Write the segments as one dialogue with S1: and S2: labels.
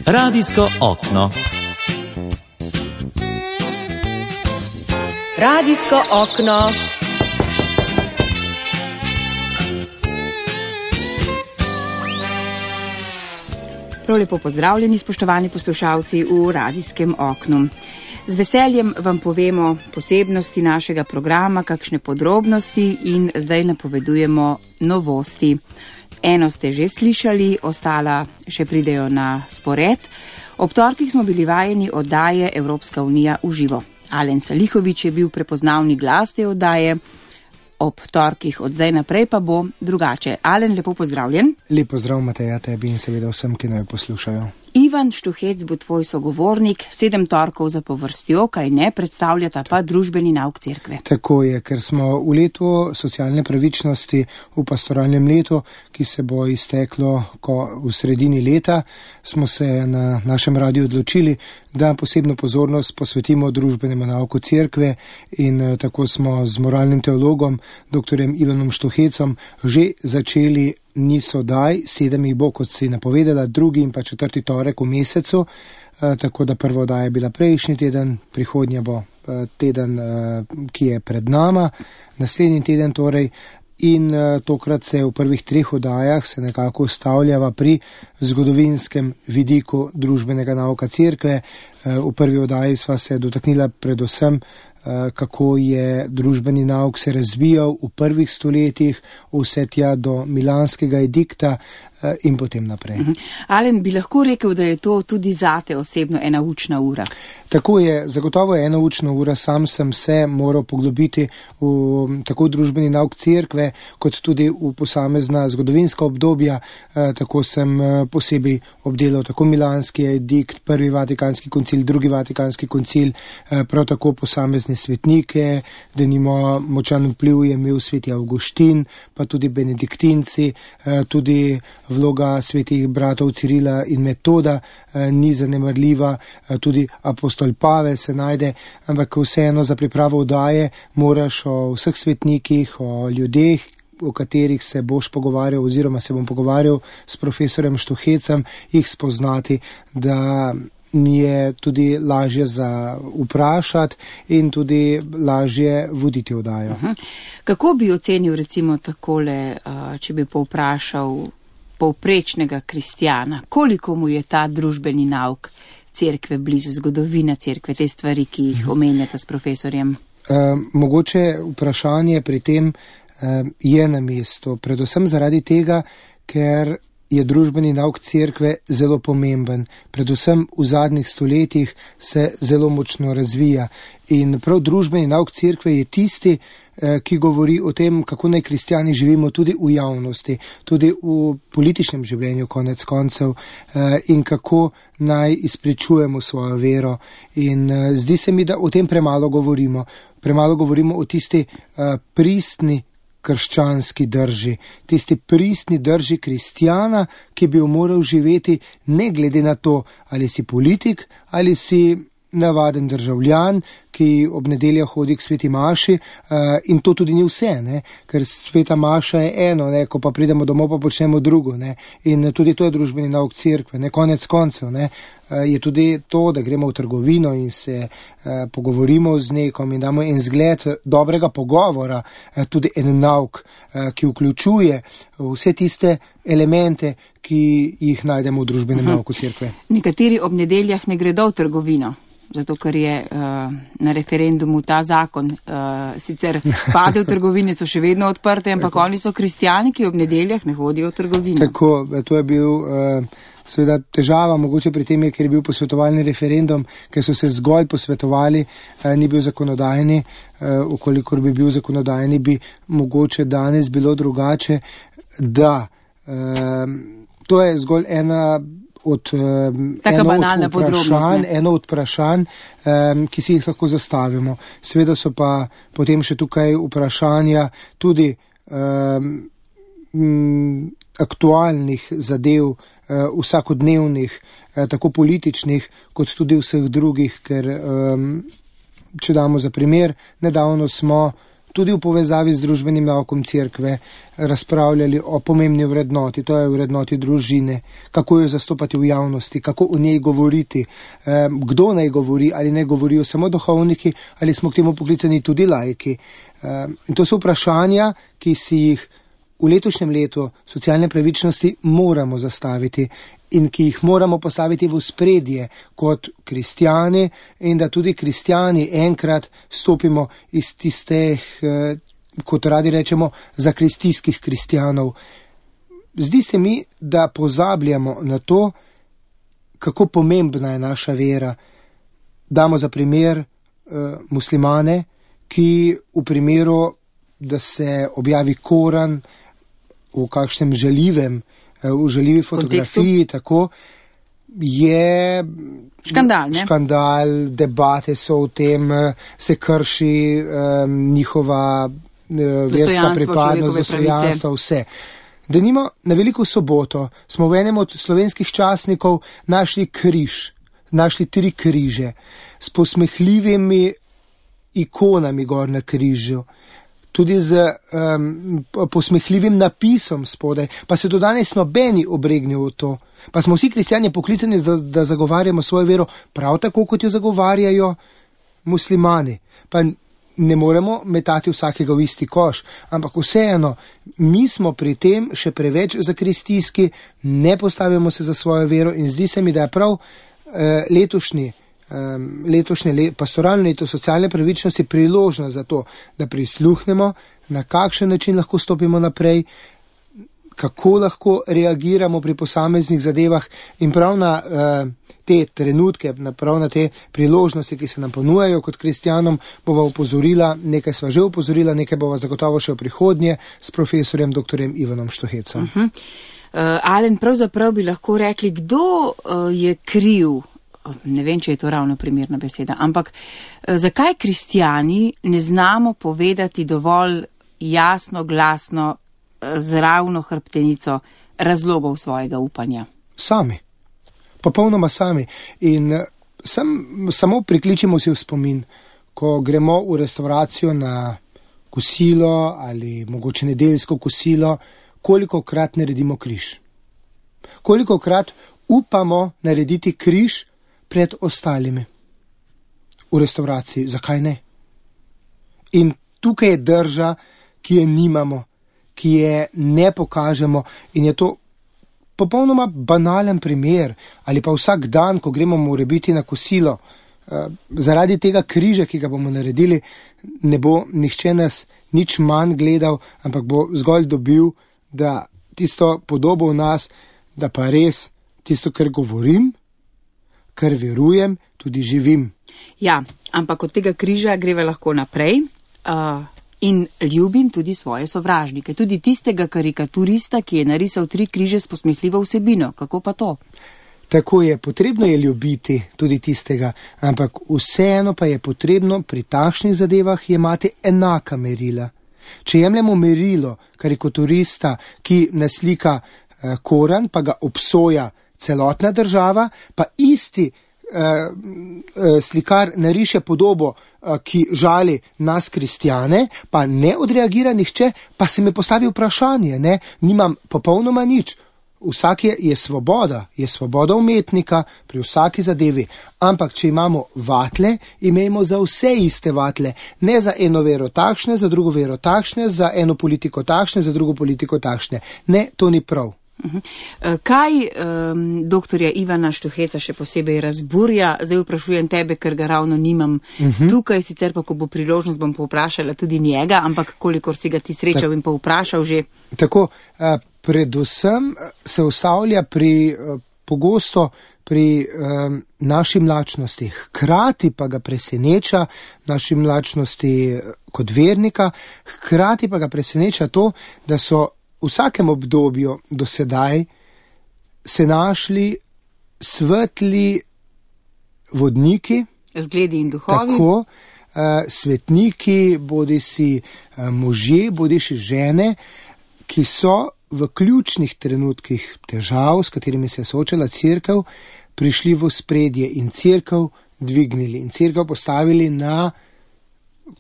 S1: Radijsko okno.
S2: Radijsko okno. Prav lepo pozdravljeni, spoštovani poslušalci v Radijskem oknu. Z veseljem vam povemo posebnosti našega programa, kakšne podrobnosti in zdaj napovedujemo novosti. Eno ste že slišali, ostala še pridejo na spored. Ob torkih smo bili vajeni oddaje Evropska unija v živo. Alen Salihović je bil prepoznavni glas te oddaje. Ob torkih od zdaj naprej pa bo drugače. Alen, lepo pozdravljen.
S3: Lep pozdrav, Mateja, tebi in seveda vsem, ki naj poslušajo.
S2: Ivan Štuhec bo tvoj sogovornik, 7 torkov zapovrstjo, kaj ne, predstavljata pa družbeni nauk cerkve.
S3: Tako je, ker smo v letu socialne pravičnosti, v pastoralnem letu, ki se bo izteklo v sredini leta, smo se na našem radiju odločili, da posebno pozornost posvetimo družbenemu nauku cerkve in tako smo z moralnim teologom, dr. Ivanom Štuhecom, že začeli niz oddaj, 7 jih bo, kot si napovedala, 2. in pa 4. torek v mesecu, tako da prva oddaja je bila prejšnji teden, prihodnja bo teden, ki je pred nama, naslednji teden torej, in tokrat se v prvih 3 oddajah se nekako ustavljava pri zgodovinskem vidiku družbenega nauka cerkve. V prvi oddaji sva se dotaknila predvsem, kako je družbeni nauk se razvijal v prvih stoletjih, vse tja do Milanskega edikta in potem naprej.
S2: Alen, bi lahko rekel, da je to tudi zate osebno ena učna ura?
S3: Tako je, zagotovo je ena učna ura, sam sem se moral poglobiti v tako družbeni nauk cerkve, kot tudi v posamezna zgodovinska obdobja, tako sem posebej obdelal tako Milanski edikt, prvi Vatikanski koncil, drugi Vatikanski koncil, prav tako posamezne svetnike, denimo močan vpliv je imel sveti Avguštin, pa tudi benediktinci, tudi vloga svetih bratov Cirila in Metoda ni zanemarljiva, tudi apostol Pavel se najde, ampak vseeno za pripravo oddaje moraš o vseh svetnikih, o ljudeh, o katerih se boš pogovarjal oziroma se bom pogovarjal s profesorjem Štuhecem, jih spoznati, da mi je tudi lažje za vprašati in tudi lažje voditi oddajo.
S2: Kako bi ocenil recimo takole, če bi povprašal povprečnega kristjana, koliko mu je ta družbeni nauk cerkve blizu, zgodovina cerkve, te stvari, ki jih omenjata s profesorjem?
S3: Mogoče vprašanje pri tem je na mestu, predvsem zaradi tega, ker je družbeni nauk cerkve zelo pomemben, predvsem v zadnjih stoletjih se zelo močno razvija in prav družbeni nauk cerkve je tisti, ki govori o tem, kako naj kristjani živimo tudi v javnosti, tudi v političnem življenju konec koncev in kako naj izpričujemo svojo vero. In zdi se mi, da o tem premalo govorimo. Premalo govorimo o tisti pristni krščanski drži, tisti pristni drži kristjana, ki bi jo moral živeti ne glede na to, ali si politik, ali si navaden državljan, ki ob nedeljah hodi k sveti maši, in to tudi ni vse, ne? Ker sveta maša je eno, ne? Ko pa pridemo domov, pa počnemo drugo, ne? In tudi to je družbeni nauk cerkve, ne? Konec koncev, ne? Je tudi to, da gremo v trgovino in se pogovorimo z nekom in damo en zgled dobrega pogovora, tudi en nauk, ki vključuje vse tiste elemente, ki jih najdemo v družbenem nauku cerkve.
S2: Nekateri ob nedeljah ne gredo v trgovino, zato ker je na referendumu ta zakon sicer padel, trgovine so še vedno odprte, ampak oni so kristjani, ki ob nedeljah ne hodijo v trgovino.
S3: Tako, to je bil seveda težava, mogoče pri tem je, ker je bil posvetovalni referendum, ker so se zgolj posvetovali, ni bil zakonodajni, ukolikor bi bil zakonodajni, bi mogoče danes bilo drugače, da to je zgolj eno od vprašanj, ki si jih lahko zastavimo. Seveda so pa potem še tukaj vprašanja tudi aktualnih zadev, vsakodnevnih, tako političnih, kot tudi vseh drugih, ker če damo za primer, nedavno smo tudi v povezavi z družbenim naukom cerkve razpravljali o pomembni vrednoti, to je vrednoti družine, kako jo zastopati v javnosti, kako o njej govoriti, kdo naj govori, ali ne govorijo samo duhovniki, ali smo k temu poklicani tudi laiki. In to so vprašanja, ki si jih v letošnjem letu socialne pravičnosti moramo zastaviti in ki jih moramo postaviti v ospredje kot kristjani, in da tudi kristjani enkrat stopimo iz tistih, kot radi rečemo, zakristijskih kristjanov. Zdi se mi, da pozabljamo na to, kako pomembna je naša vera. Damo za primer muslimane, ki v primeru, da se objavi Koran v kakšnem v žaljivi fotografiji, tako je škandal, debate so o tem, se krši njihova verska pripadnost, dostojanstvo, vse. Denimo, na Veliko soboto smo v enem od slovenskih časnikov našli 3 križe s posmehljivimi ikonami gor na križu, tudi z posmehljivim napisom spodaj, pa se do danes nobeni obregnil v to. Pa smo vsi kristjani poklicani, da zagovarjamo svojo vero prav tako, kot jo zagovarjajo muslimani. Pa ne moremo metati vsakega v isti koš, ampak vseeno, mi smo pri tem še preveč zakristijski, ne postavimo se za svojo vero in zdi se mi, da je prav letošnje pastoralno leto socialne pravičnosti priložnost za to, da prisluhnemo, na kakšen način lahko stopimo naprej, kako lahko reagiramo pri posameznih zadevah in prav na te trenutke, prav na te priložnosti, ki se nam ponujajo kot kristjanom, bova upozorila, nekaj sva že upozorila, nekaj bova zagotovo še v prihodnje s profesorjem dr. Ivanom Štuhecom.
S2: Alen, pravzaprav bi lahko rekli, kdo je kriv, ne vem, če je to ravno primerna beseda, ampak zakaj kristjani ne znamo povedati dovolj jasno, glasno, z ravno hrbtenico razlogov svojega upanja?
S3: Sami. Popolnoma sami. In samo prikličimo si v spomin, ko gremo v restauracijo na kosilo ali mogoče nedeljsko kosilo, kolikokrat naredimo križ. Kolikokrat upamo narediti križ pred ostalimi v restauraciji. Zakaj ne? In tukaj je drža, ki je nimamo, ki je ne pokažemo, in je to popolnoma banalen primer, ali pa vsak dan, ko gremo morebiti na kosilo, zaradi tega križa, ki ga bomo naredili, ne bo nihče nas nič manj gledal, ampak bo zgolj dobil, da tisto podobo v nas, da pa res tisto, kar govorim, kar verujem, tudi živim.
S2: Ja, ampak od tega križa greva lahko naprej in ljubim tudi svoje sovražnike, tudi tistega karikaturista, ki je narisal 3 križe s posmehljivo vsebino. Kako pa to?
S3: Tako je, potrebno je ljubiti tudi tistega, ampak vseeno pa je potrebno pri takšnih zadevah jemati enaka merila. Če jemljemo merilo karikaturista, ki naslika Koran, pa ga obsoja celotna država, pa isti slikar nariše podobo, ki žali nas kristjane, pa ne odreagira nihče, pa se mi postavi vprašanje, ne, nimam popolnoma nič. Vsak je svoboda umetnika pri vsaki zadevi, ampak če imamo vatle, imejmo za vse iste vatle, ne za eno vero takšne, za drugo vero takšne, za eno politiko takšne, za drugo politiko takšne. Ne, to ni prav.
S2: Kaj doktorja Ivana Štuheca še posebej razburja? Zdaj vprašujem tebe, ker ga ravno nimam tukaj, sicer pa, ko bo priložnost, bom povprašala tudi njega, ampak kolikor si ga ti srečal in povprašal že. Tako,
S3: predvsem se ustavlja pogosto pri naši mlačnosti, hkrati pa ga preseneča naši mlačnosti kot vernika, hkrati pa ga preseneča to, da so v vsakem obdobju do sedaj se našli svetli vodniki,
S2: zgledi in duhovi,
S3: tako, svetniki, bodisi možje, bodisi žene, ki so v ključnih trenutkih težav, s katerimi se je soočala cerkev, prišli v ospredje in cerkev dvignili in cerkev postavili na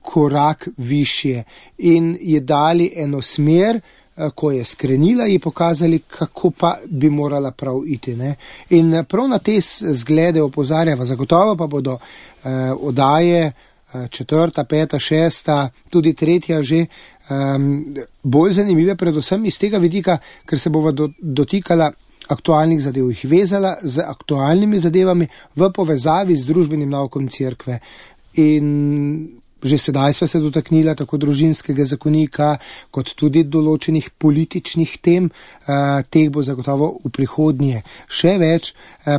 S3: korak višje in je dali eno smer, ko je skrenila, je pokazali, kako pa bi morala prav iti. Ne? In prav na te zglede opozarjava, zagotovo pa bodo oddaje 4., 5., 6., tudi 3. že bolj zanimive, predvsem iz tega vidika, ker se bova dotikala aktualnih zadev, jih vezala z aktualnimi zadevami v povezavi z družbenim naukom cerkve. In že sedaj sva se dotaknila tako družinskega zakonika, kot tudi določenih političnih tem, teh bo zagotovo v prihodnje še več,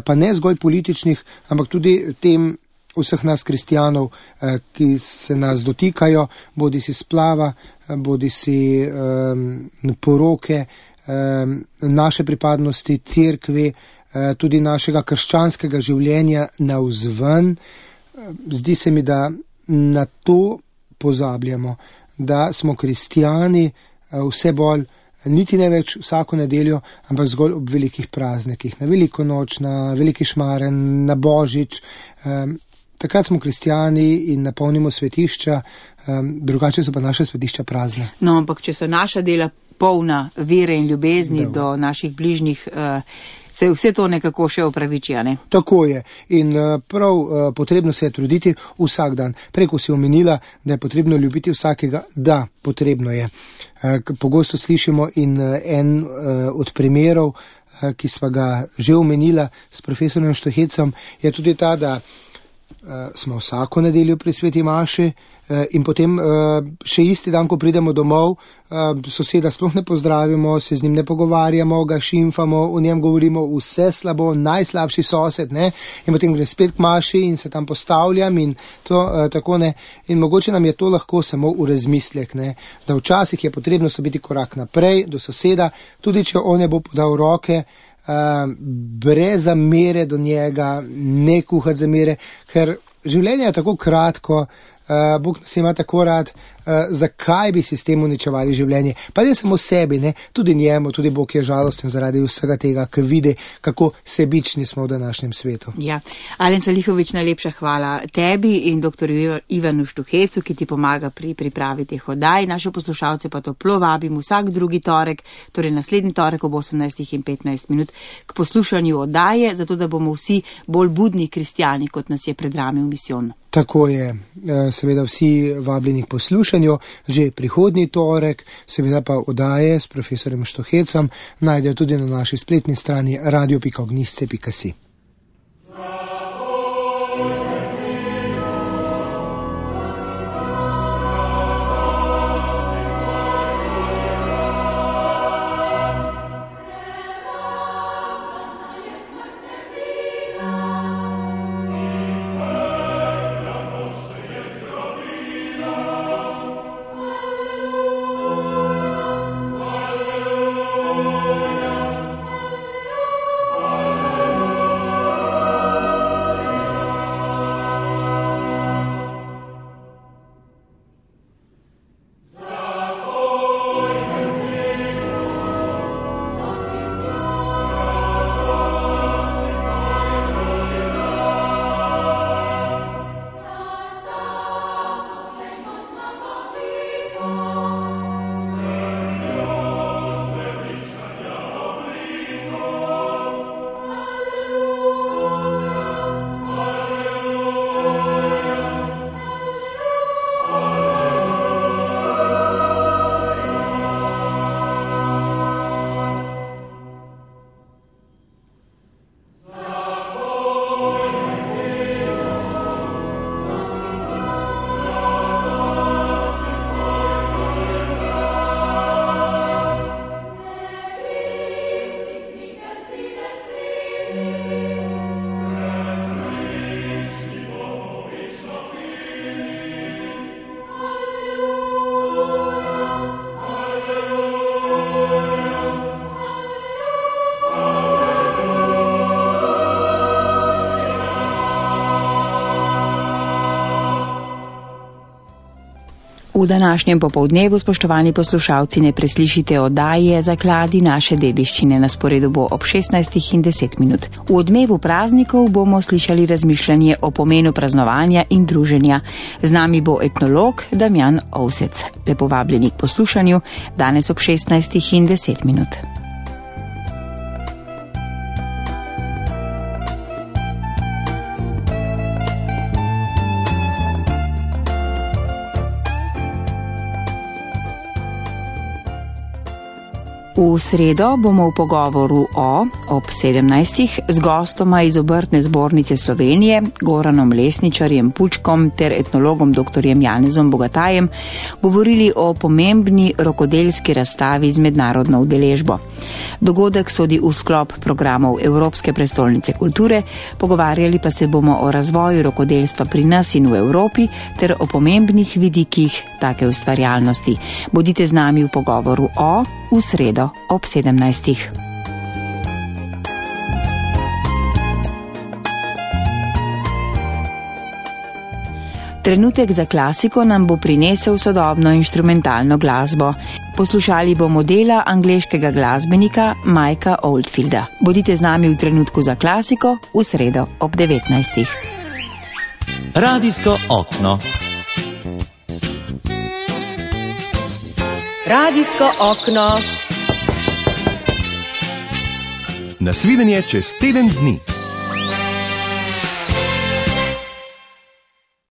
S3: pa ne zgolj političnih, ampak tudi tem vseh nas kristjanov, ki se nas dotikajo, bodi si splava, bodi si poroke, naše pripadnosti cerkvi, tudi našega krščanskega življenja navzven. Zdi se mi, da na to pozabljamo, da smo kristjani vse bolj, niti ne več vsako nedeljo, ampak zgolj ob velikih praznikih, na veliko noč, na veliki šmaren, na božič. Takrat smo kristjani in napolnimo svetišča, drugače so pa naše svetišča prazne.
S2: No, ampak če so naša dela polna vere in ljubezni do naših bližnjih, se vse to nekako še opraviči, ne?
S3: Tako je. In prav potrebno se je truditi vsak dan. Preko si omenila, da je potrebno ljubiti vsakega. Da, potrebno je. Pogosto slišimo in en od primerov, ki sva ga že omenila s profesorjem Štohecom, je tudi ta, da smo vsako nedeljo pri sveti maši in potem še isti dan, ko pridemo domov, soseda sploh ne pozdravimo, se z njim ne pogovarjamo, ga šimfamo, o njem govorimo vse slabo, najslabši sosed, ne, in potem gre spet k maši in se tam postavljam in to tako ne. In mogoče nam je to lahko samo v razmislek, ne, da včasih je potrebno stopiti korak naprej do soseda, tudi če on ne bo podal roke, brez zamere do njega, ne kuhati zamere, ker življenje je tako kratko, Bog nas ima tako rad, zakaj bi si s tem uničevali življenje? Pa ne samo sebi, ne, tudi njemu, tudi Bog je žalosten zaradi vsega tega, ker vidi, kako sebični smo v današnjem svetu.
S2: Ja, Alen Salihović, najlepša hvala tebi in dr. Ivanu Štuhecu, ki ti pomaga pri pripravi teh oddaj. Naše poslušalce pa toplo vabim vsak drugi torek, torej naslednji torek ob 18:15 k poslušanju oddaje, zato da bomo vsi bolj budni kristjani, kot nas je pred nami v misijon.
S3: Tako je, seveda vsi vabljeni k poslušanju, že prihodnji torek, seveda pa oddaje s profesorjem Štohecom najdejo tudi na naši spletni strani radio.ognisce.si.
S2: V današnjem popoldnevu, spoštovani poslušalci, ne preslišite oddaje Zakladi naše dediščine. Na sporedu bo ob 16:10. V odmevu praznikov bomo slišali razmišljanje o pomenu praznovanja in druženja. Z nami bo etnolog Damjan Ovsec. Lepo vabljeni k poslušanju, danes ob 16:10. V sredo bomo v pogovoru ob 17. z gostoma iz Obrtne zbornice Slovenije, Goranom Lesničarjem Pučkom ter etnologom dr. Janezom Bogatajem govorili o pomembni rokodelski razstavi z mednarodno udeležbo. Dogodek sodi v sklop programov Evropske prestolnice kulture, pogovarjali pa se bomo o razvoju rokodelstva pri nas in v Evropi ter o pomembnih vidikih take ustvarjalnosti. Bodite z nami v pogovoru v sredo ob 17. Trenutek za klasiko nam bo prinesel sodobno inštrumentalno glasbo. Poslušali bomo dela angleškega glasbenika Mikea Oldfielda. Bodite z nami v trenutku za klasiko v sredo ob 19.
S1: Radijsko okno.
S4: Radijsko okno.
S1: Nasvidenje čez teden dni.